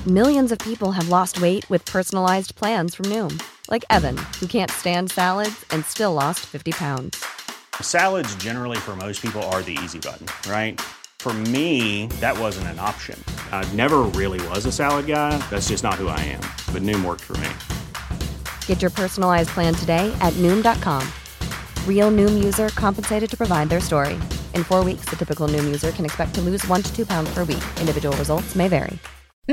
Millions of people have lost weight with personalized plans from Noom. Like Evan, who can't stand salads and still lost 50 pounds. Salads generally for most people are the easy button, right? For me, that wasn't an option. I never really was a salad guy. That's just not who I am. But Noom worked for me. Get your personalized plan today at Noom.com. Real Noom user compensated to provide their story. In 4 weeks, the typical Noom user can expect to lose 1 to 2 pounds per week. Individual results may vary.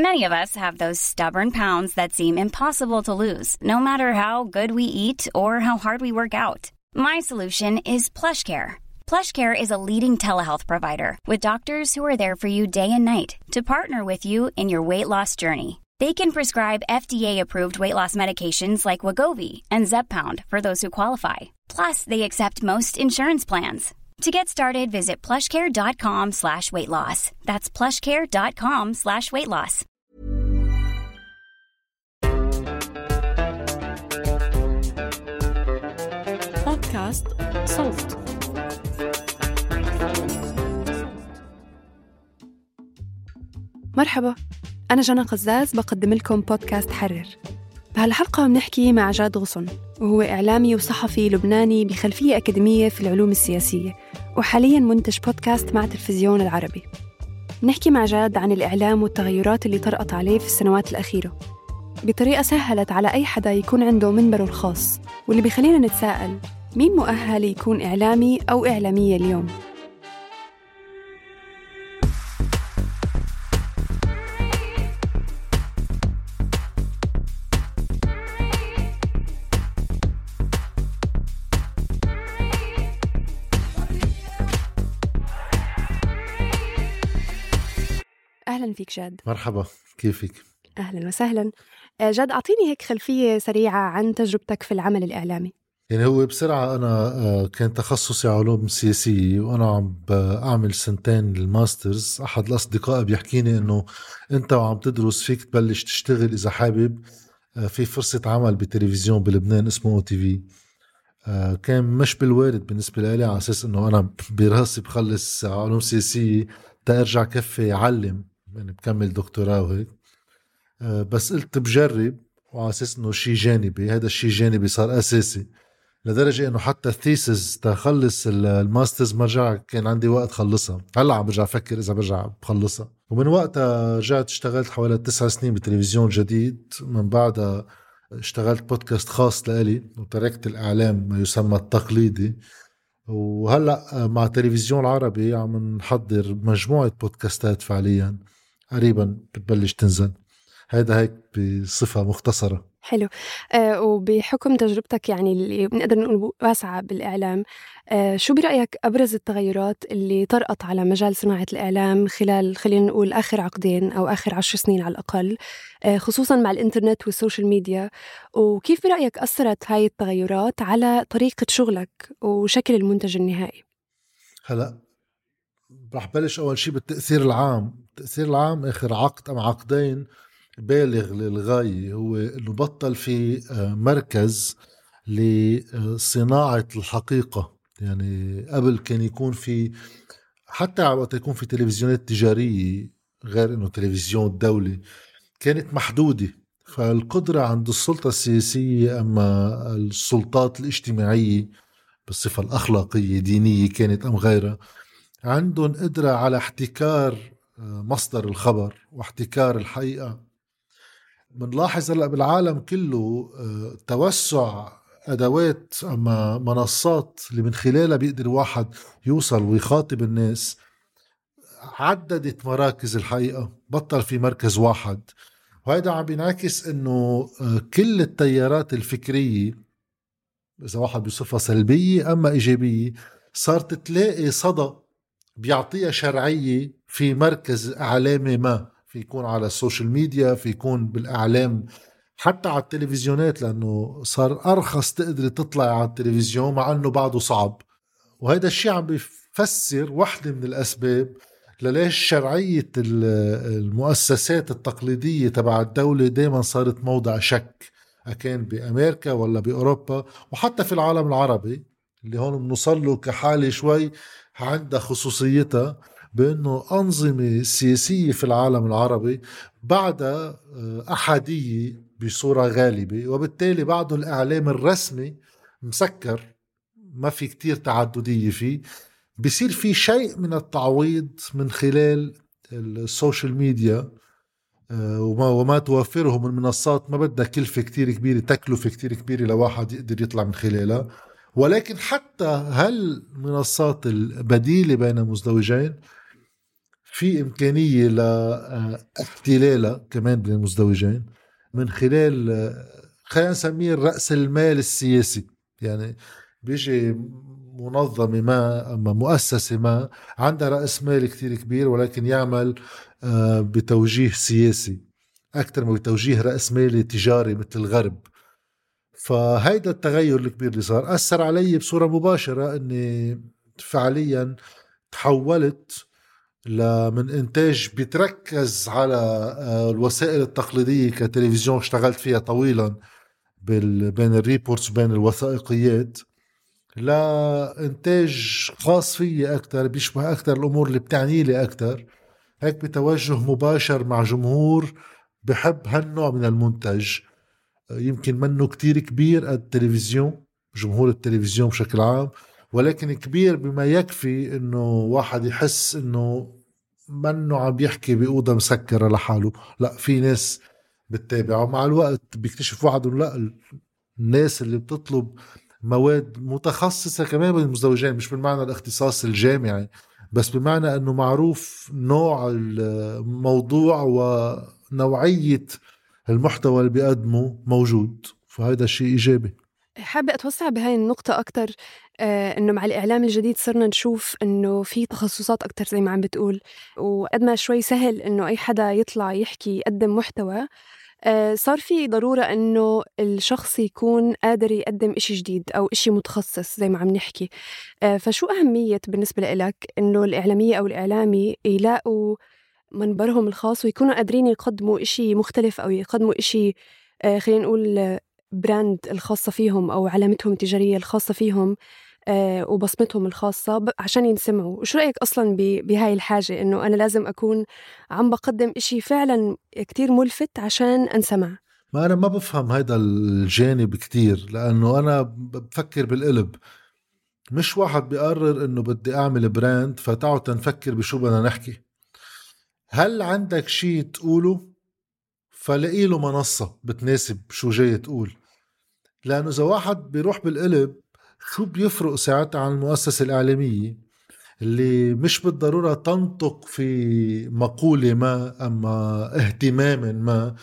Many of us have those stubborn pounds that seem impossible to lose, no matter how good we eat or how hard we work out. My solution is PlushCare. PlushCare is a leading telehealth provider with doctors who are there for you day and night to partner with you in your weight loss journey. They can prescribe FDA-approved weight loss medications like Wegovy and Zepbound for those who qualify. Plus, they accept most insurance plans. To get started, visit plushcare.com/weightloss. That's plushcare.com/weightloss. بودكاست صوت. مرحبا، أنا جنى قزاز بقدم لكم بودكاست حرر. بهالحلقة بنحكي مع جاد غصن، وهو إعلامي وصحفي لبناني بخلفية أكاديمية في العلوم السياسية، وحالياً منتج بودكاست مع تلفزيون العربي. بنحكي مع جاد عن الإعلام والتغيرات اللي طرقت عليه في السنوات الأخيرة بطريقة سهلت على أي حدا يكون عنده منبره الخاص، واللي بيخلينا نتساءل مين مؤهل يكون إعلامي أو إعلامية اليوم؟ أهلاً فيك جاد. مرحبا، كيفك؟ أهلاً وسهلاً. جاد، أعطيني هيك خلفية سريعة عن تجربتك في العمل الإعلامي. يعني هو بسرعة أنا كان تخصصي علوم سياسية، وأنا عم أعمل سنتين الماسترز. أحد الأصدقاء بيحكيني إنه أنت وعم تدرس فيك تبلش تشتغل إذا حابب في فرصة عمل بتلفزيون بلبنان اسمه OTV. كان مش بالوارد بالنسبة لي، على أساس إنه أنا براسي بخلص علوم سياسية تأرجع كفي أعلم، يعني بكمل دكتوراه وهيك. بس قلت بجرب، وعلى أساس إنه شيء جانبي. هذا الشيء جانبي صار أساسي، لدرجة إنه حتى الثيسز تخلص الماسترز مرجع كان عندي وقت خلصها. هلأ عم برجع أفكر إذا برجع بخلصها. ومن وقتها رجعت اشتغلت حوالي 9 سنين بتلفزيون جديد. من بعدها اشتغلت بودكاست خاص لإلي، وتركت الإعلام ما يسمى التقليدي. وهلأ مع تلفزيون العربي عم نحضر مجموعة بودكاستات فعليا قريبا بتبلش تنزل. هذا هيك بصفة مختصرة. حلو. وبحكم تجربتك يعني اللي بنقدر نقول واسعة بالإعلام، شو برأيك أبرز التغيرات اللي طرقت على مجال صناعة الإعلام خلال خلينا نقول آخر عقدين أو آخر 10 سنين على الأقل، خصوصاً مع الإنترنت والسوشيال ميديا؟ وكيف برأيك أثرت هاي التغيرات على طريقة شغلك وشكل المنتج النهائي؟ هلأ رح بلش أول شيء بالتأثير العام. التأثير العام آخر عقد أم عقدين بالغ للغاية، هو إنه بطل في مركز لصناعة الحقيقة. يعني قبل كان يكون في، حتى وقت يكون في تلفزيونات تجارية غير إنه تلفزيون دولي، كانت محدودة. فالقدرة عند السلطة السياسية أما السلطات الاجتماعية بالصفة الأخلاقية دينية كانت أم غيرها، عندهم قدرة على احتكار مصدر الخبر واحتكار الحقيقة. بنلاحظ هلأ بالعالم كله توسع أدوات أما منصات اللي من خلالها بيقدر واحد يوصل ويخاطب الناس. عددت مراكز الحقيقة، بطل في مركز واحد. وهذا عم بينعكس إنه كل التيارات الفكرية، إذا واحد بصفة سلبية أما إيجابية، صارت تلاقي صدى بيعطيها شرعية في مركز إعلامي ما. في يكون على السوشيال ميديا، في يكون بالإعلام، حتى على التلفزيونات، لأنه صار أرخص تقدر تطلع على التلفزيون مع أنه بعده صعب. وهذا الشيء عم بيفسر واحدة من الأسباب لليش شرعية المؤسسات التقليدية تبع الدولة دايما صارت موضع شك، أكان بأمريكا ولا بأوروبا وحتى في العالم العربي اللي هون بنوصل له كحالة شوي عندها خصوصيتها. بأنه أنظمة سياسية في العالم العربي بعدها أحادية بصورة غالبة، وبالتالي بعده الإعلام الرسمي مسكر، ما في كتير تعددية فيه. بيصير في شيء من التعويض من خلال السوشيال ميديا وما توفره من منصات ما بدها كلفة كتير كبيرة، تكلفة كتير كبيرة لواحد يقدر يطلع من خلالها. ولكن حتى هالمنصات البديلة بين المزدوجين في إمكانية لاحتلالها كمان بين المزدوجين من خلال خلينا نسميه رأس المال السياسي. يعني بيجي منظمة ما أما مؤسسة ما عندها رأس مال كتير كبير، ولكن يعمل بتوجيه سياسي أكتر من بتوجيه رأس مالي تجاري مثل الغرب. فهيدا التغير الكبير اللي صار أثر علي بصورة مباشرة، أني فعليا تحولت من إنتاج بيتركز على الوسائل التقليدية كتلفزيون اشتغلت فيها طويلا بين الريبورتس وبين الوثائقيات، لإنتاج خاص فيه أكتر بيشبه أكتر الأمور اللي بتعني لي أكتر، هيك بتوجه مباشر مع جمهور بحب هالنوع من المنتج. يمكن منه كتير كبير قد التلفزيون، جمهور التلفزيون بشكل عام، ولكن كبير بما يكفي انه واحد يحس انه منه عم بيحكي بأوضة مسكرة لحاله، لا في ناس بتتابعه. مع الوقت بيكتشف واحد لا، الناس اللي بتطلب مواد متخصصة كمان بالمزدوجين، مش بالمعنى الاختصاص الجامعي، بس بمعنى انه معروف نوع الموضوع ونوعية المحتوى اللي بيقدمه موجود، فهذا الشيء إيجابي. حابة أتوسع بهاي النقطة أكتر. إنه مع الإعلام الجديد صرنا نشوف إنه في تخصصات أكتر زي ما عم بتقول، وقد ما شوي سهل إنه أي حدا يطلع يحكي يقدم محتوى، صار في ضرورة إنه الشخص يكون قادر يقدم إشي جديد أو إشي متخصص زي ما عم نحكي. فشو أهمية بالنسبة لك إنه الإعلامية أو الإعلامي يلاقوا منبرهم الخاص ويكونوا قادرين يقدموا إشي مختلف أو يقدموا إشي خلينا نقول براند الخاصة فيهم أو علامتهم التجارية الخاصة فيهم وبصمتهم الخاصة عشان ينسمعوا؟ وشو رأيك أصلاً بهاي الحاجة إنه أنا لازم أكون عم بقدم إشي فعلاً كتير ملفت عشان أنسمع؟ ما أنا ما بفهم هيدا الجانب كتير، لأنه أنا بفكر بالقلب. مش واحد بيقرر إنه بدي أعمل براند فتعوا تنفكر بشو بدنا نحكي. هل عندك شي تقوله فلاقي له منصة بتناسب شو جاي تقول. لأنه إذا واحد بيروح بالقلب شو بيفرق ساعتها عن المؤسسة الإعلامية اللي مش بالضرورة تنطق في مقولة ما أما اهتمام ما،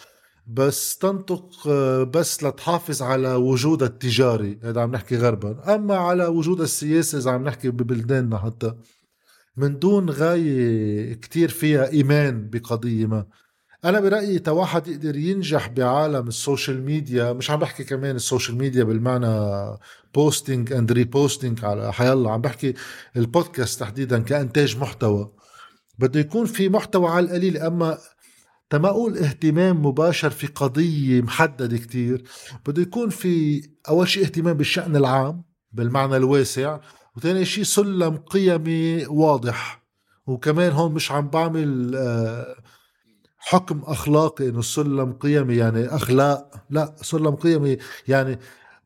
بس تنطق بس لتحافظ على وجود التجاري، هذا عم نحكي غربا، أما على وجود السياسي إذا عم نحكي ببلداننا حتى، من دون غاية كتير فيها إيمان بقضية ما. أنا برأيي تواحد يقدر ينجح بعالم السوشيال ميديا، مش عم بحكي كمان السوشيال ميديا بالمعنى بوستينج اند ريبوستينج على حيالله، عم بحكي البودكاست تحديدا كإنتاج محتوى. بده يكون في محتوى على القليل، أما تما أقول اهتمام مباشر في قضية محددة كتير. بده يكون في أول شيء اهتمام بالشأن العام بالمعنى الواسع، وثاني شيء سلم قيمي واضح. وكمان هون مش عم بعمل حكم أخلاقي إنه سلم قيمي يعني أخلاق، لا، سلم قيمي يعني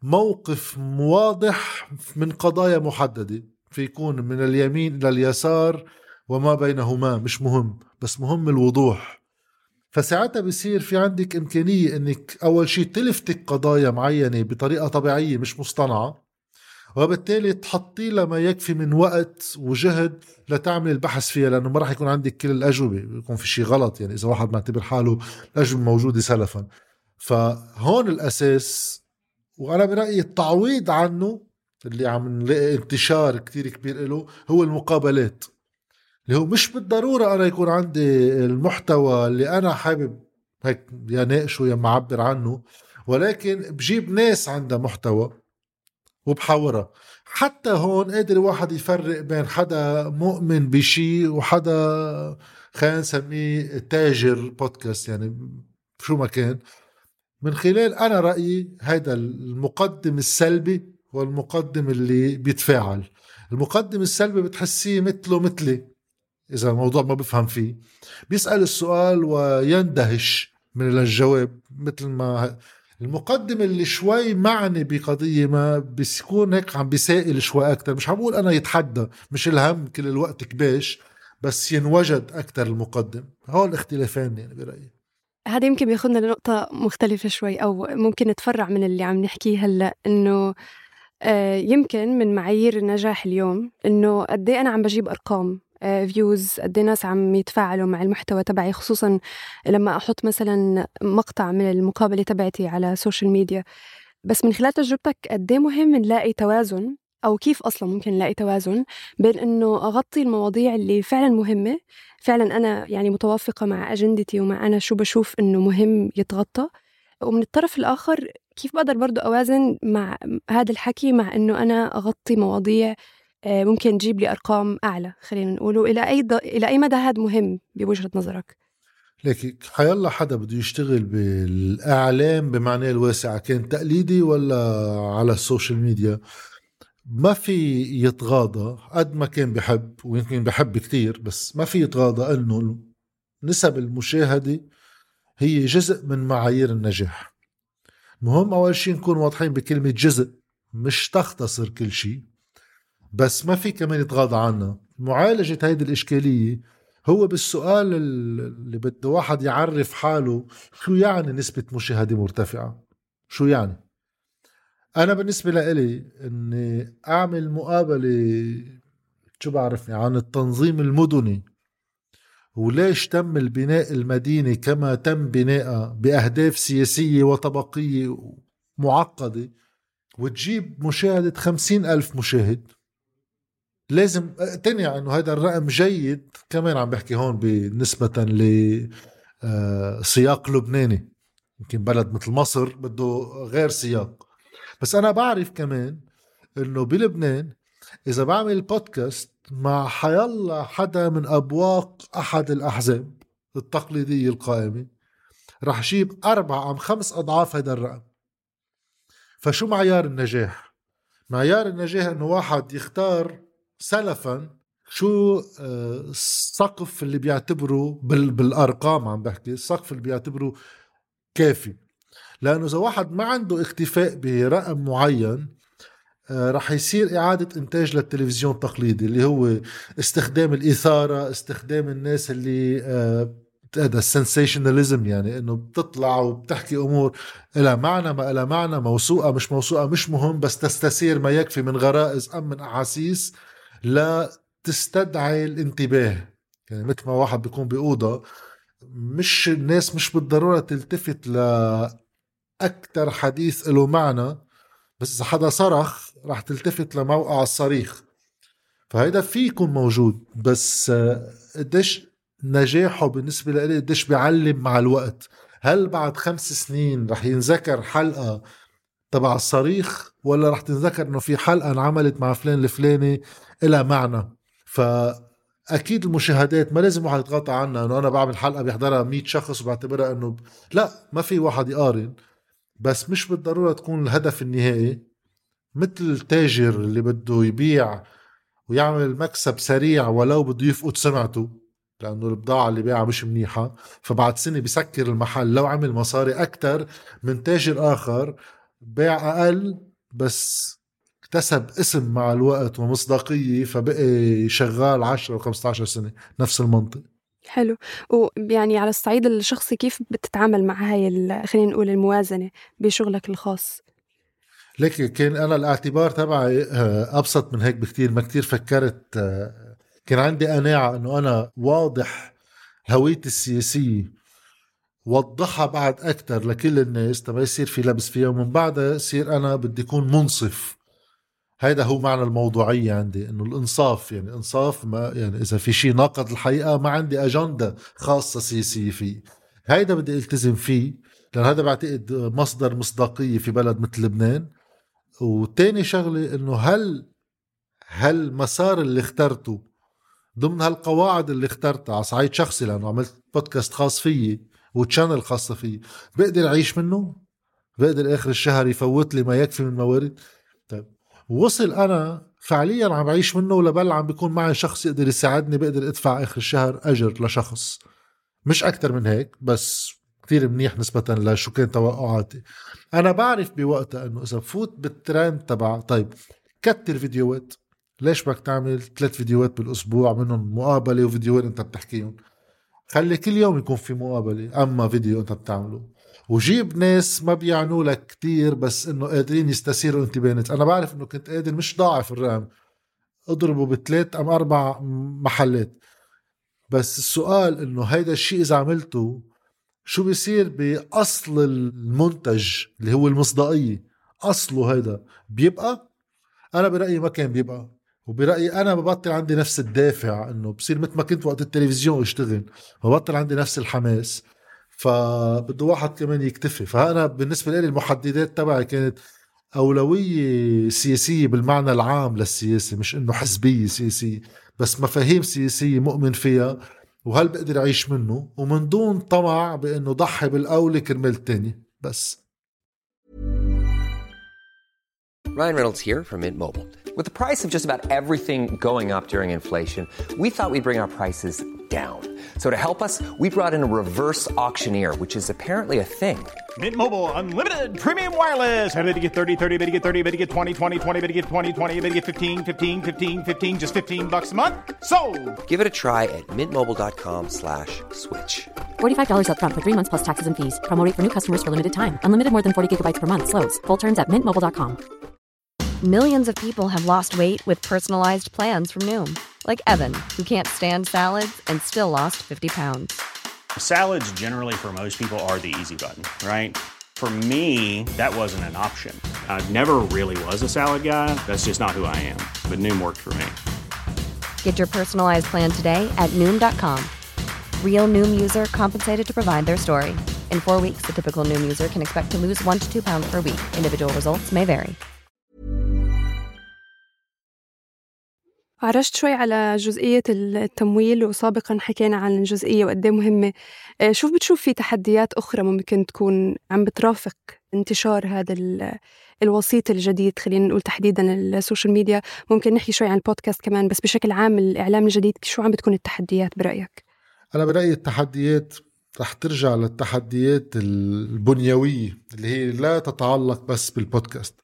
موقف واضح من قضايا محددة، في يكون من اليمين إلى اليسار وما بينهما، مش مهم، بس مهم الوضوح. فساعتها بيصير في عندك إمكانية إنك أول شيء تلفتك قضايا معينة بطريقة طبيعية مش مصطنعة، وبالتالي تحطي لما يكفي من وقت وجهد لتعمل البحث فيها، لأنه ما راح يكون عندك كل الأجوبة، يكون في شيء غلط يعني إذا واحد معتبر حاله الأجوبة موجودة سلفا. فهون الأساس، وأنا برأيي التعويض عنه اللي عم نلاقي انتشار كتير كبير له هو المقابلات، اللي هو مش بالضرورة أنا يكون عندي المحتوى اللي أنا حابب هيك يا ناقشه يا معبر عنه، ولكن بجيب ناس عندها محتوى وبحاورها. حتى هون قادر واحد يفرق بين حدا مؤمن بشي وحدا خلينا نسميه تاجر بودكاست، يعني شو ما كان، من خلال أنا رأيي هيدا المقدم السلبي والمقدم اللي بيتفاعل. المقدم السلبي بتحسيه مثله مثلي، إذا الموضوع ما بفهم فيه، بيسأل السؤال ويندهش من الجواب. مثل ما المقدم اللي شوي معني بقضية ما بيكون هيك عم بيسائل شوي أكتر، مش عم بقول أنا يتحدى، مش الهم كل الوقت كباش، بس ينوجد أكتر المقدم. هول الاختلافين يعني برأيي. هذا يمكن بياخدنا لنقطة مختلفة شوي، أو ممكن نتفرع من اللي عم نحكيه هلأ، إنه يمكن من معايير النجاح اليوم إنه قدي أنا عم بجيب أرقام فيوز، قدي ناس عم يتفاعلوا مع المحتوى تبعي، خصوصا لما أحط مثلا مقطع من المقابلة تبعتي على سوشيال ميديا. بس من خلال تجربتك قدي مهم نلاقي توازن، أو كيف أصلا ممكن نلاقي توازن بين إنه أغطي المواضيع اللي فعلا مهمة، فعلا أنا يعني متوافقة مع أجندتي ومع أنا شو بشوف إنه مهم يتغطى، ومن الطرف الآخر كيف بقدر برضو أوازن مع هذا الحكي مع إنه أنا أغطي مواضيع ممكن تجيب لي أرقام أعلى، خلينا نقوله. إلى أي مدى هذا مهم بوجهة نظرك؟ لكن حيالله حدا بده يشتغل بالإعلام بمعنى الواسع، كان تقليدي ولا على السوشيال ميديا، ما في يتغاضى قد ما كان بحب، ويمكن بحب كتير، بس ما في يتغاضى أنه نسب المشاهدة هي جزء من معايير النجاح. مهم أول شيء نكون واضحين بكلمة جزء، مش تختصر كل شيء، بس ما في كمان يتغاضى عنها. معالجة هيدي الإشكالية هو بالسؤال اللي بده واحد يعرف حاله شو يعني نسبة مشاهدة مرتفعة. شو يعني؟ أنا بالنسبة لإلي أني أعمل مقابلة شو بعرفني عن التنظيم المدني وليش تم البناء المدينة كما تم بناءها بأهداف سياسية وطبقية معقدة، وتجيب مشاهدة 50,000 مشاهد، لازم تنيا أنه هذا الرقم جيد. كمان عم بحكي هون بالنسبة لسياق لبناني، يمكن بلد مثل مصر بده غير سياق. بس أنا بعرف كمان أنه بلبنان إذا بعمل بودكاست مع حيالله حدا من أبواق أحد الأحزاب التقليدية القائمة، رح أجيب 4 أو 5 أضعاف هذا الرقم. فشو معيار النجاح؟ معيار النجاح أنه واحد يختار سلفا شو السقف اللي بيعتبره بالأرقام، عم بحكي السقف اللي بيعتبره كافي. لأنه إذا واحد ما عنده اكتفاء برقم معين، رح يصير إعادة إنتاج للتلفزيون التقليدي اللي هو استخدام الإثارة، استخدام الناس اللي هذا السنسيشناليزم، يعني إنه بتطلع وبتحكي أمور إلى معنى ما إلى معنى، موثوقة مش موثوقة مش مهم، بس تستثير ما يكفي من غرائز أم من أحاسيس لا تستدعي الانتباه. يعني مثل ما واحد بيكون بأوضة، مش الناس مش بالضرورة تلتفت لأكتر حديث له معنى، بس إذا حدا صرخ راح تلتفت لموقع الصريخ. فهيدا فيه يكون موجود، بس قديش نجاحه بالنسبة لي قديش بيعلم مع الوقت. هل بعد 5 سنين رح ينذكر حلقة تبع الصريخ، ولا رح تنذكر انه في حلقة انعملت مع فلان الفلاني إلى معنى؟ فأكيد المشاهدات ما لازم واحد يتغطى عنها انه انا بعمل حلقة بيحضرها 100 شخص وبعتبرها انه لا، ما في واحد يقارن، بس مش بالضرورة تكون الهدف النهائي. مثل التاجر اللي بده يبيع ويعمل مكسب سريع ولو بده يفقد سمعته لأنه البضاعة اللي بيعها مش منيحة، فبعد سنة بيسكر المحل لو عمل مصاري أكتر من تاجر آخر بيع أقل بس اكتسب اسم مع الوقت ومصداقية فبقي شغال 10 و 15 سنة. نفس المنطق. حلو. ويعني على الصعيد الشخصي كيف بتتعامل مع هاي خلينا نقول الموازنة بشغلك الخاص؟ لكن كان أنا الاعتبار تبعي أبسط من هيك بكتير. ما كتير فكرت، كان عندي قناعة أنه أنا واضح هويتي السياسية وضحها بعد أكتر لكل الناس تبا يصير في لبس فيها، ومن بعدها يصير أنا بدي أكون منصف. هيدا هو معنى الموضوعية عندي، إنه الإنصاف. يعني إنصاف، ما يعني إذا في شيء ناقض الحقيقة ما عندي أجندة خاصة سياسية فيه. هيدا بدي التزم فيه، لأن هذا بعتقد مصدر مصداقية في بلد مثل لبنان. وتاني شغلة إنه هل مسار اللي اخترته ضمن هالقواعد اللي اخترتها على صعيد شخصي، لأنه عملت بودكاست خاص فيي وتشانل خاصة فيي، بقدر أعيش منه، بقدر آخر الشهر يفوت لي ما يكفي من موارد. طيب، ووصل أنا فعليا عم بعيش منه، ولبل عم بيكون معي شخص يقدر يساعدني، بقدر ادفع آخر الشهر أجر لشخص، مش أكتر من هيك، بس كتير منيح نسبة لشو كان توقعاتي. أنا بعرف بوقتها أنه إذا بفوت بالترند تبع طيب كتر فيديوهات، ليش بدك تعمل 3 فيديوهات بالأسبوع منهم مقابلة وفيديوهات أنت بتحكيهم؟ خلي كل يوم يكون في مقابلة أما فيديو أنت بتعمله، وجيب ناس ما بيعنوا لك كتير بس إنه قادرين يستثيروا انتباهك. أنا بعرف إنه كنت قادر مش ضاعف الرقم، اضربه ب3 أم 4 محلات، بس السؤال إنه هيدا الشيء إذا عملته شو بيصير بأصل المنتج اللي هو المصداقية؟ أصله هيدا بيبقى؟ أنا برأيي ما كان بيبقى، وبرأيي أنا ببطل عندي نفس الدافع، إنه بصير مثل ما كنت وقت التلفزيون اشتغل، ببطل عندي نفس الحماس، فبده واحد كمان يكتفي. فأنا بالنسبة لي المحددات تبعي كانت أولوية سياسية بالمعنى العام للسياسة، مش إنه حزبية سياسية، بس مفاهيم سياسية مؤمن فيها وهل بقدر أعيش منه، ومن دون طمع بإنه ضحي بالأولى كرمال التاني بس. Ryan Reynolds here from Mint Mobile. With the price of just about everything going up during inflation, we thought we'd bring our prices down. So to help us, we brought in a reverse auctioneer, which is apparently a thing. Mint Mobile Unlimited Premium Wireless. How to get 30, 30, bit to get 30, bit to get 20, 20, 20, bit to get 20, 20, bit to get 15, 15, 15, 15, just $15 a month? Sold! Give it a try at mintmobile.com/switch. $45 up front for 3 months plus taxes and fees. Promo rate for new customers for limited time. Unlimited more than 40 gigabytes per month. Slows full terms at mintmobile.com. Millions of people have lost weight with personalized plans from Noom. Like Evan, who can't stand salads and still lost 50 pounds. Salads generally for most people are the easy button, right? For me, that wasn't an option. I never really was a salad guy. That's just not who I am. But Noom worked for me. Get your personalized plan today at Noom.com. Real Noom user compensated to provide their story. In 4 weeks, the typical Noom user can expect to lose 1 to 2 pounds per week. Individual results may vary. عرجت شوي على جزئية التمويل، وسابقاً حكينا عن الجزئية وقد ايه مهمة. شوف بتشوف في تحديات أخرى ممكن تكون عم بترافق انتشار هذا الوسيط الجديد، خلينا نقول تحديداً السوشيال ميديا، ممكن نحكي شوي عن البودكاست كمان، بس بشكل عام الإعلام الجديد شو عم بتكون التحديات برأيك؟ أنا برأيي التحديات رح ترجع للتحديات البنيوية اللي هي لا تتعلق بس بالبودكاست،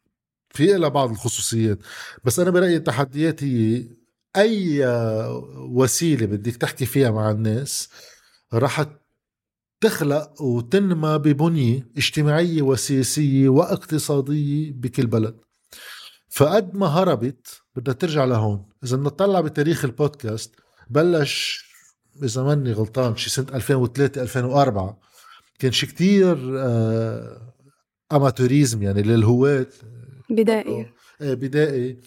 في إلى بعض الخصوصيات، بس أنا برأيي التحديات هي أي وسيلة بدك تحكي فيها مع الناس رح تخلق وتنمى ببنية اجتماعية وسياسية واقتصادية بكل بلد. فقد ما هربت بدها ترجع لهون. إذا نطلع بتاريخ البودكاست بلش إذا ماني غلطان شي سنة 2003-2004، كان شي كتير أماتوريزم يعني للهواة بدائي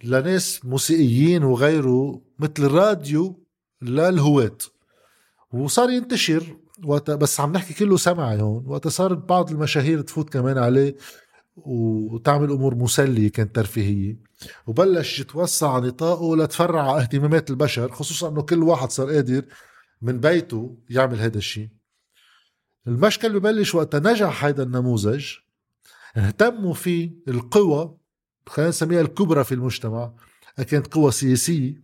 لناس موسيقيين وغيره مثل الراديو للهواة، وصار ينتشر بس عم نحكي كله سمعي هون. وقت صارت بعض المشاهير تفوت كمان عليه وتعمل أمور مسلية كانت ترفيهية، وبلش يتوسع نطاقه لتفرع اهتمامات البشر، خصوصا أنه كل واحد صار قادر من بيته يعمل هذا الشيء. المشكل ببلش وقت نجح هذا النموذج اهتموا فيه القوى، خلينا نسميها الكبرى في المجتمع، كانت قوى سياسية.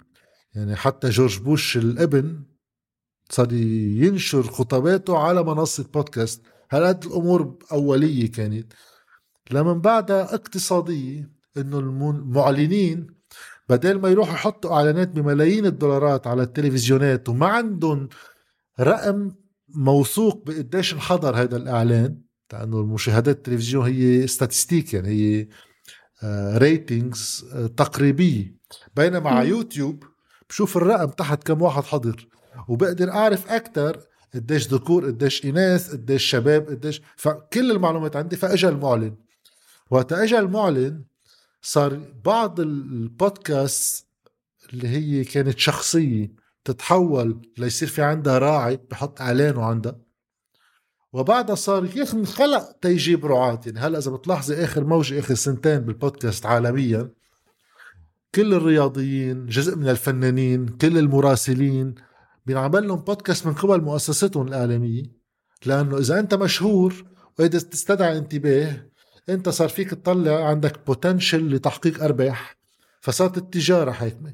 يعني حتى جورج بوش الابن صار ينشر خطاباته على منصة بودكاست. هالقد الأمور أولية كانت. لمن بعدها اقتصادية، إنه المعلنين بدل ما يروحوا يحطوا إعلانات بملايين الدولارات على التلفزيونات وما عندهم رقم موثوق بقديش انحضر هذا الإعلان، لأنه المشاهدات التلفزيون هي ستاتستيك، يعني هي ريتينجز تقريبية، بينما على يوتيوب بشوف الرقم تحت كم واحد حضر وبقدر أعرف أكتر قديش ذكور قديش إناث قديش شباب قديش، فكل المعلومات عندي. فأجا المعلن، وقت أجا المعلن صار بعض البودكاست اللي هي كانت شخصية تتحول ليصير في عندها راعي بحط إعلانه عندها، وبعدها صار خلق تيجيب رعاة. يعني هلأ إذا بتلاحظي آخر موجة آخر سنتين بالبودكاست عالميا، كل الرياضيين، جزء من الفنانين، كل المراسلين بينعمل لهم بودكاست من قبل مؤسساتهم الإعلامية، لأنه إذا أنت مشهور وإذا تستدعي انتباه انت صار فيك تطلع عندك بوتنشل لتحقيق أرباح، فصارت التجارة حاكمة.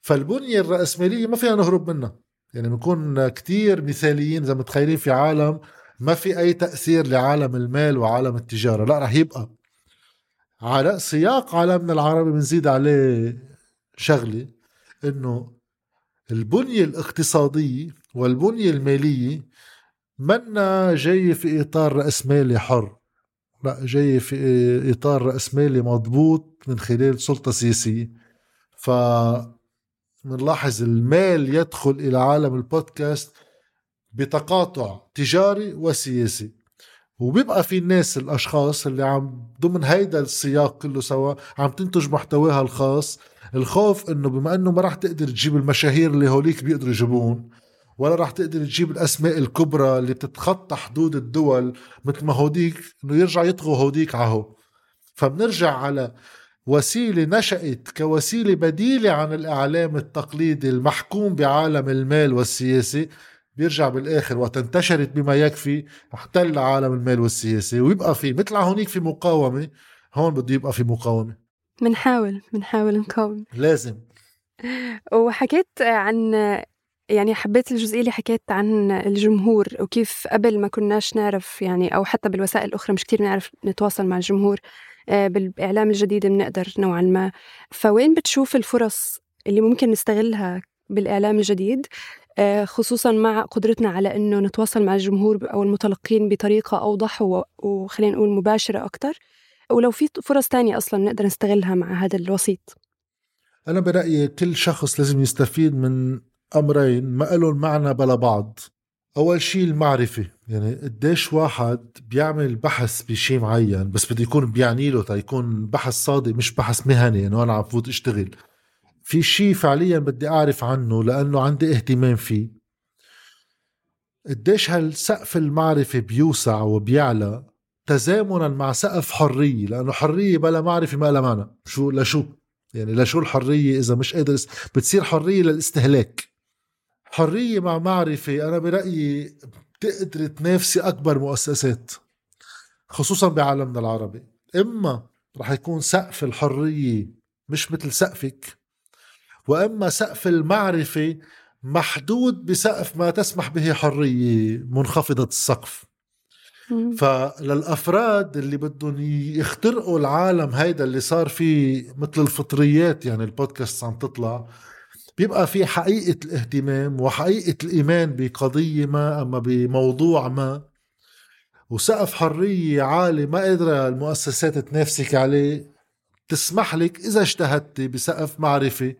فالبنية الرأسمالية ما فيها نهرب منها. يعني بنكون كتير مثاليين إذا متخيلين في عالم ما في أي تأثير لعالم المال وعالم التجارة، لا رح يبقى على سياق عالمنا العربي. بنزيد عليه شغلة، إنه البنية الاقتصادية والبنية المالية منا جاي في إطار رأسمالي حر، لا جاي في إطار رأسمالي مضبوط من خلال سلطة سياسية. فمنلاحظ المال يدخل إلى عالم البودكاست بتقاطع تجاري وسياسي، وبيبقى في الناس الأشخاص اللي عم ضمن هيدا السياق كله سوا عم تنتج محتواها الخاص. الخوف إنه بما إنه ما راح تقدر تجيب المشاهير اللي هوليك بيقدروا يجيبون، ولا راح تقدر تجيب الأسماء الكبرى اللي بتتخطى حدود الدول مثل ما هوديك، إنه يرجع يطغوا هوديك عهو. فبنرجع على وسيلة نشأت كوسيلة بديلة عن الإعلام التقليدي المحكوم بعالم المال والسياسي، بيرجع بالآخر وتنتشرت بما يكفي احتل عالم المال والسياسي، ويبقى في مثل هونيك في مقاومة، هون بده يبقى في مقاومة. منحاول نقاوم لازم. وحكيت عن، يعني حبيت الجزئية اللي حكيت عن الجمهور وكيف قبل ما كناش نعرف يعني، أو حتى بالوسائل الأخرى مش كتير نعرف نتواصل مع الجمهور. بالإعلام الجديد بنقدر نوعا ما. فوين بتشوف الفرص اللي ممكن نستغلها بالإعلام الجديد، خصوصا مع قدرتنا على أنه نتواصل مع الجمهور أو المتلقين بطريقة أوضح وخلينا نقول مباشرة أكتر، ولو في فرص تانية أصلا نقدر نستغلها مع هذا الوسيط؟ أنا برأيي كل شخص لازم يستفيد من أمرين ما لهم معنى بلا بعض. أول شيء المعرفة، يعني قديش واحد بيعمل بحث بشيء معين بس بده يكون بيعني له يكون بحث صادق مش بحث مهني، يعني أنا عم فوت اشتغل في شيء فعليا بدي أعرف عنه لأنه عندي اهتمام فيه. قديش هالسقف المعرفة بيوسع وبيعلى تزامنا مع سقف حرية، لأنه حرية بلا معرفة ما لها معنى. لشو يعني لشو الحرية إذا مش قادر بتصير حرية للاستهلاك؟ حرية مع معرفة أنا برأيي بتقدر تنافسي أكبر مؤسسات خصوصا بعالمنا العربي. إما رح يكون سقف الحرية مش مثل سقفك، وإما سقف المعرفة محدود بسقف ما تسمح به حرية منخفضة السقف. فللأفراد اللي بدهم يخترقوا العالم هيدا اللي صار فيه مثل الفطريات، يعني البودكاست عم تطلع، بيبقى في حقيقة الاهتمام وحقيقة الإيمان بقضية ما أما بموضوع ما، وسقف حرية عالي ما قادرة المؤسسات تنافسك عليه، تسمح لك إذا اجتهدت بسقف معرفة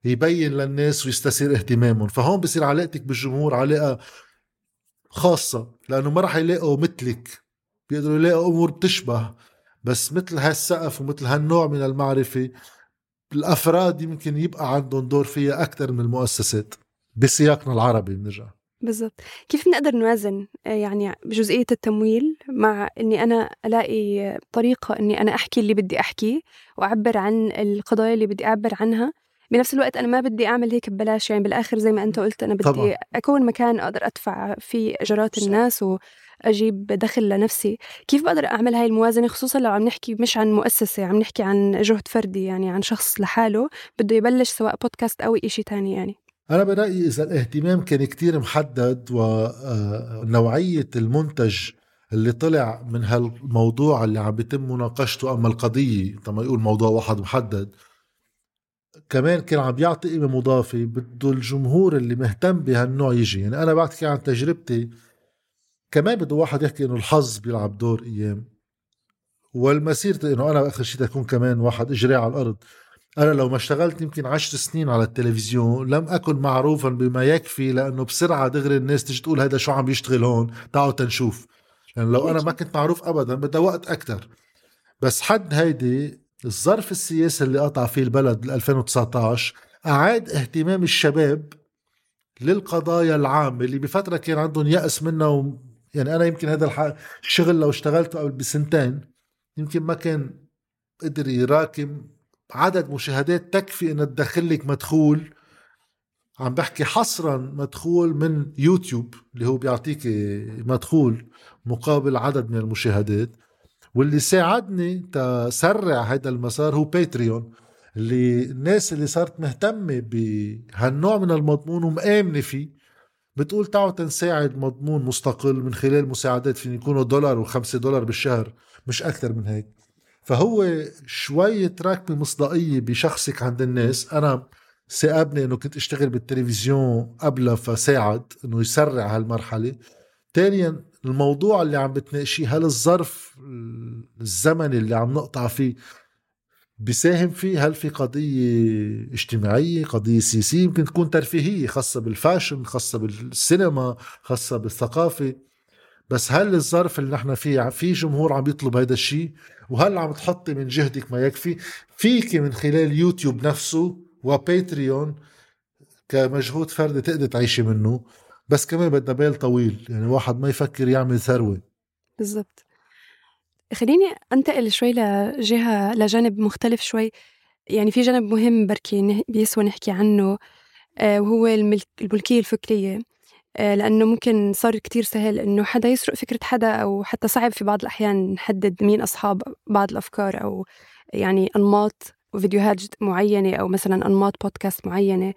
يبين للناس ويستثير اهتمامهم. فهون بصير علاقتك بالجمهور علاقة خاصة، لأنه ما رح يلاقوا مثلك، بيقدروا يلاقوا أمور بتشبه، بس مثل هالسقف ومثل هالنوع من المعرفة الأفراد يمكن يبقى عندهم دور فيها أكتر من المؤسسات. بسياقنا العربي بنرجع بالضبط. كيف نقدر نوازن يعني بجزئية التمويل مع أني أنا ألاقي طريقة أني أنا أحكي اللي بدي أحكيه وأعبر عن القضايا اللي بدي أعبر عنها، بنفس الوقت أنا ما بدي أعمل هيك ببلاش. يعني بالآخر زي ما أنت قلت أنا بدي طبعا أكون مكان أقدر أدفع فيه أجرات الناس وأجيب دخل لنفسي. كيف بقدر أعمل هاي الموازنة، خصوصا لو عم نحكي مش عن مؤسسة، عم نحكي عن جهد فردي، يعني عن شخص لحاله بده يبلش سواء بودكاست أو إشي تاني؟ يعني أنا برأيي إذا الاهتمام كان كتير محدد ونوعية المنتج اللي طلع من هالموضوع اللي عم بيتم مناقشته، أما القضية طبعا يقول موضوع واحد محدد، كمان كان عم بيعطي قيمة مضافة، بده الجمهور اللي مهتم بهالنوع يجي. يعني أنا بحكي عن تجربتي، كمان بده واحد يحكي إنه الحظ بيلعب دور أيام، والمسيرة إنه أنا آخر شيء تكون كمان واحد إجري على الأرض. أنا لو ما اشتغلت يمكن 10 سنين على التلفزيون لم أكن معروفا بما يكفي، لأنه بسرعة دغري الناس تجي تقول هذا شو عم بيشتغل هون، تعالوا تنشوف. لأن لو أنا ما كنت معروف أبدا بدأ وقت أكتر. بس حد هيدي الظرف السياسي اللي قطع فيه البلد 2019 أعاد اهتمام الشباب للقضايا العامة اللي بفترة كان عندهم يأس منه. يعني أنا يمكن هذا الشغل لو اشتغلته قبل بسنتين يمكن ما كان قدر يراكم عدد مشاهدات تكفي إن تدخلك مدخول. عم بحكي حصرا مدخول من يوتيوب اللي هو بيعطيك مدخول مقابل عدد من المشاهدات. واللي ساعدني تسرع هذا المسار هو باتريون، اللي الناس اللي صارت مهتمة بهالنوع من المضمون ومآمنة فيه بتقول تعالوا تنساعد مضمون مستقل من خلال مساعدات فين يكونوا $1 و$5 بالشهر، مش أكثر من هيك. فهو شوية راكبة مصداقية بشخصك عند الناس. أنا سأبني أنه كنت أشتغل بالتلفزيون قبل فساعد أنه يسرع هالمرحلة. تانيا الموضوع اللي عم بتناقشيه، هل الظرف الزمني اللي عم نقطع فيه بيساهم فيه؟ هل في قضية اجتماعية، قضية سياسية، يمكن تكون ترفيهية خاصة بالفاشن، خاصة بالسينما، خاصة بالثقافة. بس هل الظرف اللي نحن فيه في جمهور عم يطلب هذا الشيء؟ وهل عم تحطي من جهدك ما يكفي؟ فيك من خلال يوتيوب نفسه وباتريون كمجهود فردي تقدر تعيشي منه، بس كمان بدنا بال طويل، يعني واحد ما يفكر يعمل ثروة. بالضبط. خليني أنتقل شوي لجانب مختلف شوي، يعني في جانب مهم بركي بيسوى نحكي عنه، وهو الملكية الفكرية. لأنه ممكن صار كتير سهل إنه حدا يسرق فكرة حدا، أو حتى صعب في بعض الأحيان نحدد مين أصحاب بعض الأفكار، أو يعني أنماط وفيديوهات معينة، أو مثلا أنماط بودكاست معينة.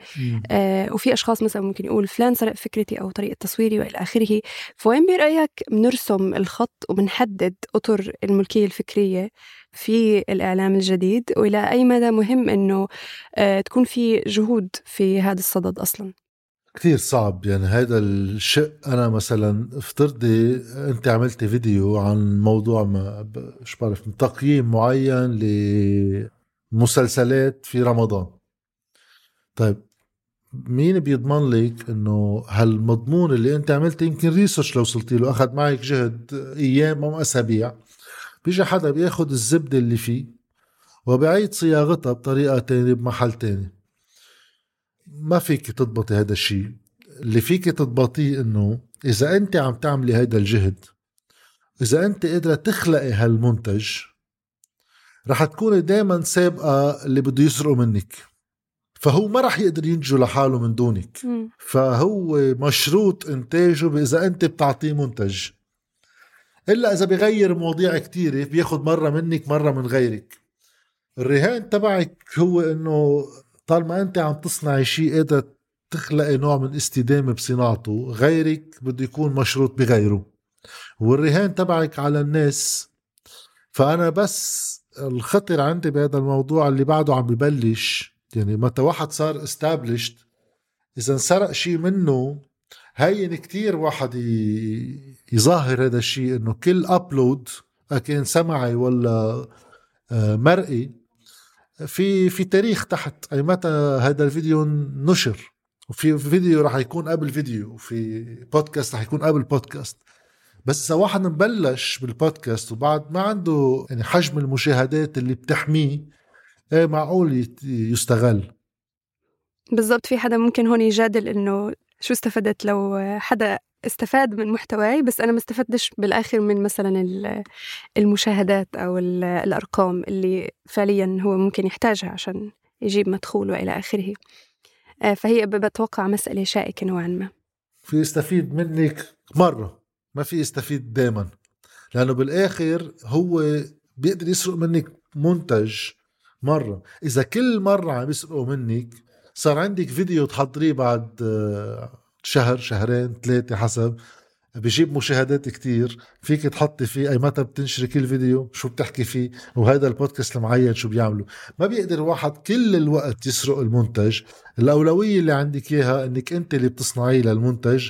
وفي أشخاص مثلا ممكن يقول فلان سرق فكرتي أو طريقة تصويري وإلى آخره. فوين برأيك بنرسم الخط وبنحدد أطر الملكية الفكرية في الإعلام الجديد، وإلى أي مدى مهم إنه تكون في جهود في هذا الصدد أصلا؟ كتير صعب يعني هذا الشيء. أنا مثلا افترضي أنت عملت فيديو عن موضوع ما بعرف تقييم معين لمسلسلات في رمضان. طيب مين بيضمن لك إنه هالمضمون اللي أنت عملت يمكن ريسيرش لو وصلتي له أخذ معك جهد أيام أو أسابيع، بيجي حدا بياخد الزبدة اللي فيه وبيعيد صياغتها بطريقة تانية بمحل تاني. ما فيك تضبطي هذا الشيء. اللي فيك تضبطيه انه اذا انت عم تعملي هذا الجهد، اذا انت قادرة تخلقي هالمنتج، رح تكوني دايما سابقة اللي بده يسرقوا منك، فهو ما رح يقدر ينجو لحاله من دونك. فهو مشروط انتاجه بإذا انت بتعطيه منتج، إلا إذا بيغير مواضيع كتيرة، بياخد مرة منك مرة من غيرك. الرهان تبعك هو انه طالما انت عم تصنعي شيء قادر تخلقي نوع من استدامة بصناعته، غيرك بده يكون مشروط بغيره، والرهان تبعك على الناس. فأنا بس الخطر عندي بهذا الموضوع اللي بعده عم ببلش، يعني متى واحد صار established إذا انسرق شيء منه هين كتير واحد يظاهر هذا الشيء، انه كل أبلود كان سمعي ولا مرئي في تاريخ تحت أي متى هذا الفيديو نشر، وفي فيديو رح يكون قبل فيديو، وفي بودكاست رح يكون قبل بودكاست. بس إذا واحد مبلش بالبودكاست وبعد ما عنده يعني حجم المشاهدات اللي بتحميه، معقول يستغل. بالضبط. في حدا ممكن هون يجادل إنه شو استفدت لو حدا استفاد من محتواي بس أنا ما استفدتش بالآخر من مثلا المشاهدات أو الأرقام اللي فعليا هو ممكن يحتاجها عشان يجيب مدخول وإلى آخره. فهي بتوقع مسألة شائكة نوعا ما. في يستفيد منك مرة، ما في يستفيد دائما، لأنه بالآخر هو بيقدر يسرق منك منتج مرة. إذا كل مرة عم يسرقوا منك، صار عندك فيديو تحضريه بعد شهر شهرين 3 حسب، بيجيب مشاهدات كتير، فيك تحطي فيه أي متى بتنشري كل فيديو شو بتحكي فيه، وهذا البودكاست المعين شو بيعملوا. ما بيقدر واحد كل الوقت يسرق المنتج. الأولوية اللي عندك إياها إنك أنت اللي بتصنعيه للمنتج،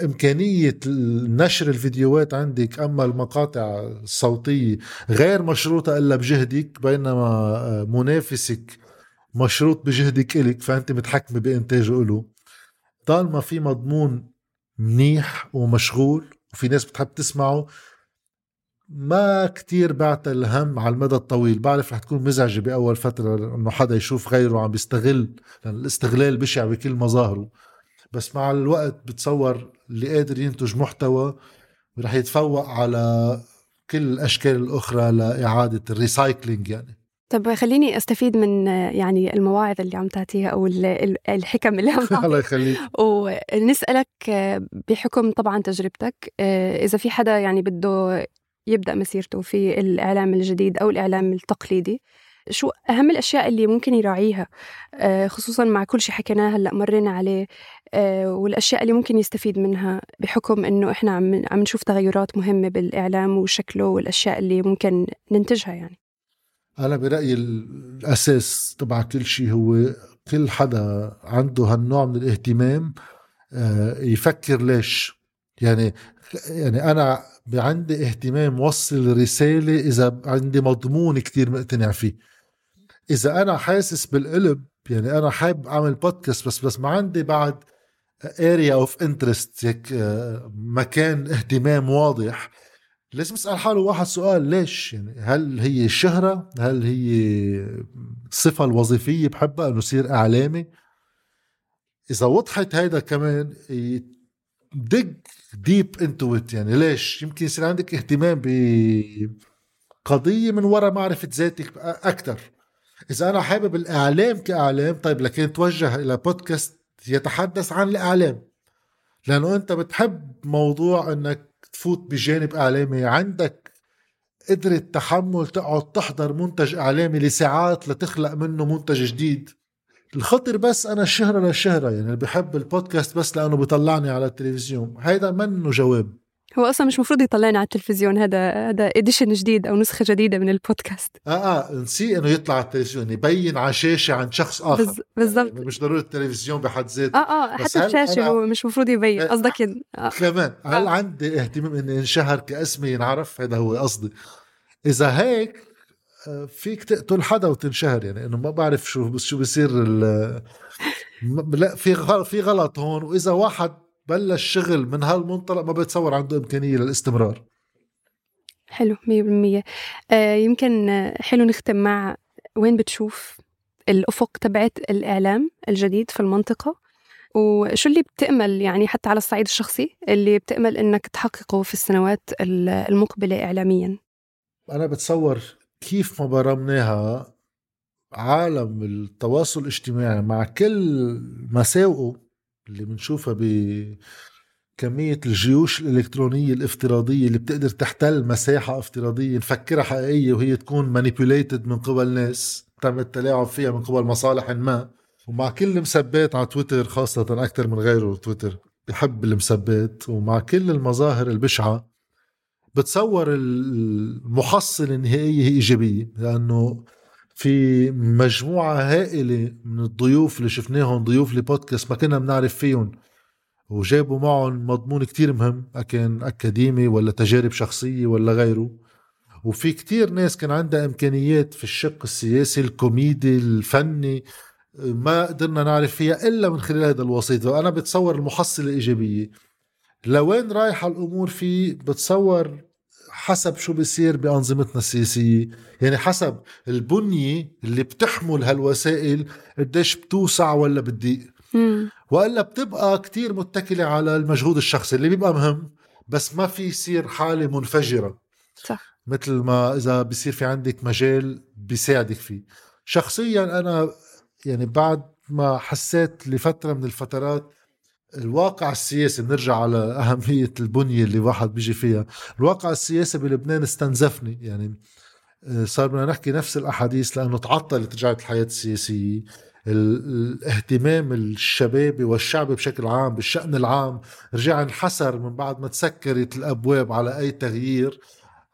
إمكانية نشر الفيديوهات عندك، أما المقاطع الصوتية غير مشروطة إلا بجهدك، بينما منافسك مشروط بجهدك إلك، فأنت متحكم بإنتاجه إله. طالما في مضمون منيح ومشغول وفي ناس بتحب تسمعه، ما كتير بعت الهم على المدى الطويل. بعرف رح تكون مزعجة بأول فترة إنه حدا يشوف غيره عم بيستغل، لأن الاستغلال بشع بكل مظاهره، بس مع الوقت بتصور اللي قادر ينتج محتوى رح يتفوق على كل الأشكال الأخرى لإعادة الريسايكلينج يعني. طب خليني أستفيد من يعني المواعظ اللي عم تعطيها أو الحكم اللي عم تعطيها الله يخليك، ونسألك بحكم طبعا تجربتك، إذا في حدا يعني بده يبدأ مسيرته في الإعلام الجديد أو الإعلام التقليدي، شو أهم الأشياء اللي ممكن يراعيها خصوصاً مع كل شيء حكيناه هلأ مرينا عليه، والأشياء اللي ممكن يستفيد منها بحكم إنه إحنا عم نشوف تغيرات مهمة بالإعلام وشكله والأشياء اللي ممكن ننتجها يعني. أنا برأيي الأساس تبع كل شيء هو كل حدا عنده هالنوع من الاهتمام يفكر ليش. يعني أنا عندي اهتمام وصل رسالة إذا عندي مضمون كتير مقتنع فيه. إذا أنا حاسس بالقلب، يعني أنا حابب أعمل بودكاست بس ما عندي بعد area of interest، هيك مكان اهتمام واضح، لازم أسأل حاله واحد سؤال: ليش؟ يعني هل هي الشهرة؟ هل هي الصفة الوظيفية بحبها أنه يصير إعلامي؟ إذا وضحت هيدا كمان dig deep into it، يعني ليش؟ يمكن يصير عندك اهتمام بقضية من وراء معرفة ذاتك أكتر. إذا أنا حابب الإعلام كإعلام، طيب لكن توجه إلى بودكاست يتحدث عن الإعلام، لأنه أنت بتحب موضوع أنك تفوت بجانب إعلامي، عندك قدرة تحمل تقعد تحضر منتج إعلامي لساعات لتخلق منه منتج جديد. الخطر بس أنا الشهرة للشهرة، يعني بحب البودكاست بس لأنه بيطلعني على التلفزيون، هيدا منه جواب. هو أصلا مش مفروض يطلعنا على التلفزيون، هذا إديشن جديد أو نسخة جديدة من البودكاست. نسي إنه يطلع على التلفزيون، يبين على شاشة عن شخص آخر. بالضبط، مش ضروري التلفزيون بحد ذاته. حتى الشاشة هو مش مفروض يبين. قصدك كمان هل عندي اهتمام إني انشهر كاسمي ينعرف؟ هذا هو قصدي. إذا هيك فيك تقتل حدا وتنشهر، يعني إنه ما بعرف شو بيصير لا، في غلط هون. وإذا واحد بلش شغل من هالمنطلق ما بتصور عنده إمكانية للاستمرار. حلو 100%. يمكن حلو نختم مع وين بتشوف الأفق تبعت الإعلام الجديد في المنطقة، وشو اللي بتأمل يعني حتى على الصعيد الشخصي اللي بتأمل إنك تحققه في السنوات المقبلة إعلاميا؟ أنا بتصور كيف ما برمناها عالم التواصل الاجتماعي مع كل مساوئه اللي بنشوفها بكمية الجيوش الإلكترونية الافتراضية اللي بتقدر تحتل مساحة افتراضية نفكرها حقيقية وهي تكون manipulated من قبل ناس تم التلاعب فيها من قبل مصالح ما، ومع كل المسبات على تويتر خاصة أكتر من غيره، تويتر بحب المسبات، ومع كل المظاهر البشعة، بتصور المحصلة النهائية هي إيجابية، لأنه في مجموعة هائلة من الضيوف اللي شفناهم، ضيوف لبودكاست ما كنا بنعرف فيهم، وجابوا معهم مضمون كتير مهم، أكن أكاديمي ولا تجارب شخصية ولا غيره. وفي كتير ناس كان عندها إمكانيات في الشق السياسي الكوميدي الفني ما قدرنا نعرف فيها إلا من خلال هذا الوسيط. وأنا بتصور المحصلة إيجابية. لوين رايحة الأمور فيه؟ بتصور حسب شو بيصير بأنظمتنا السياسية، يعني حسب البنية اللي بتحمل هالوسائل قديش بتوسع ولا بتضيق، وإلا بتبقى كتير متكلة على المجهود الشخصي اللي بيبقى مهم، بس ما في يصير حالة منفجرة. صح. مثل ما إذا بيصير في عندك مجال بيساعدك فيه. شخصيا أنا يعني بعد ما حسيت لفترة من الفترات الواقع السياسي، بنرجع على أهمية البنية اللي واحد بيجي فيها، الواقع السياسي بلبنان استنزفني، يعني صار بدنا نحكي نفس الأحاديث لأنه تعطلت رجعت الحياة السياسية. الاهتمام الشبابي والشعبي بشكل عام بالشأن العام رجع انحسر من بعد ما تسكرت الأبواب على أي تغيير.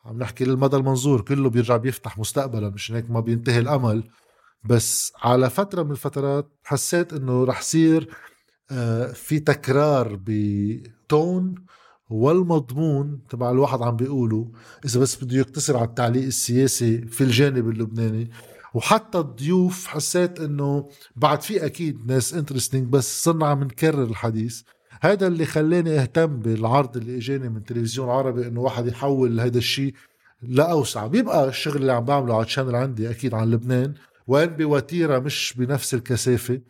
عم نحكي للمدى المنظور كله بيرجع بيفتح مستقبلا، مش هيك ما بينتهي الأمل. بس على فترة من الفترات حسيت إنه رح يصير في تكرار بتون والمضمون تبع الواحد عم بيقوله، إذا بس بده يقتصر على التعليق السياسي في الجانب اللبناني. وحتى الضيوف حسيت إنه بعد في أكيد ناس انترستينج، بس صرنا عم نكرر الحديث. هذا اللي خلاني أهتم بالعرض اللي إجاني من تلفزيون عربي، إنه واحد يحول هذا الشيء لأوسع. بيبقى الشغل اللي عم بعمله على الشانل عندي أكيد عن لبنان، وين بوتيرة مش بنفس الكثافة،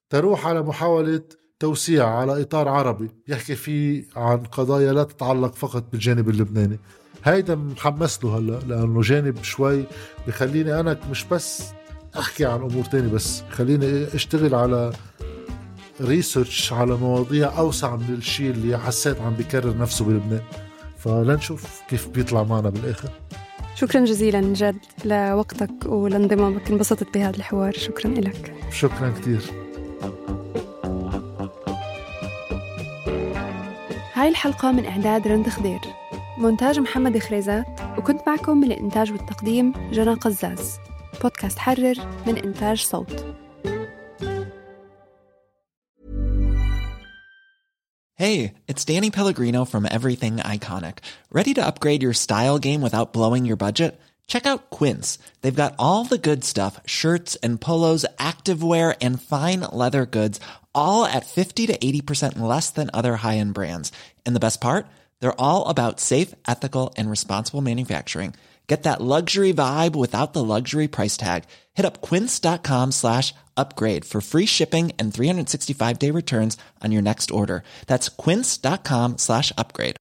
تروح على محاولة توسيع على إطار عربي يحكي فيه عن قضايا لا تتعلق فقط بالجانب اللبناني. هيدا محمس له هلأ، لأنه جانب شوي بخليني أنا مش بس أحكي عن أمور تاني، بس خليني أشتغل على ريسيرش على مواضيع أوسع من الشيء اللي حسيت عم بيكرر نفسه بلبنان. فلنشوف كيف بيطلع معنا بالآخر. شكرا جزيلا جد لوقتك ولانضمامك، انبسطت بهذا الحوار. شكرا لك. شكرا كتير. هاي الحلقة من إعداد رند خضير، مونتاج محمد خريزات، وكنت معكم من الإنتاج والتقديم جنى قزاز. بودكاست حرر من إنتاج صوت. Hey, it's Danny Pellegrino from Everything Iconic. Ready to upgrade your style game without blowing your budget? Check out Quince. They've got all the good stuff, shirts and polos, activewear, and fine leather goods, all at 50 to 80% less than other high-end brands. And the best part? They're all about safe, ethical, and responsible manufacturing. Get that luxury vibe without the luxury price tag. Hit up quince.com/upgrade for free shipping and 365-day returns on your next order. That's quince.com/upgrade.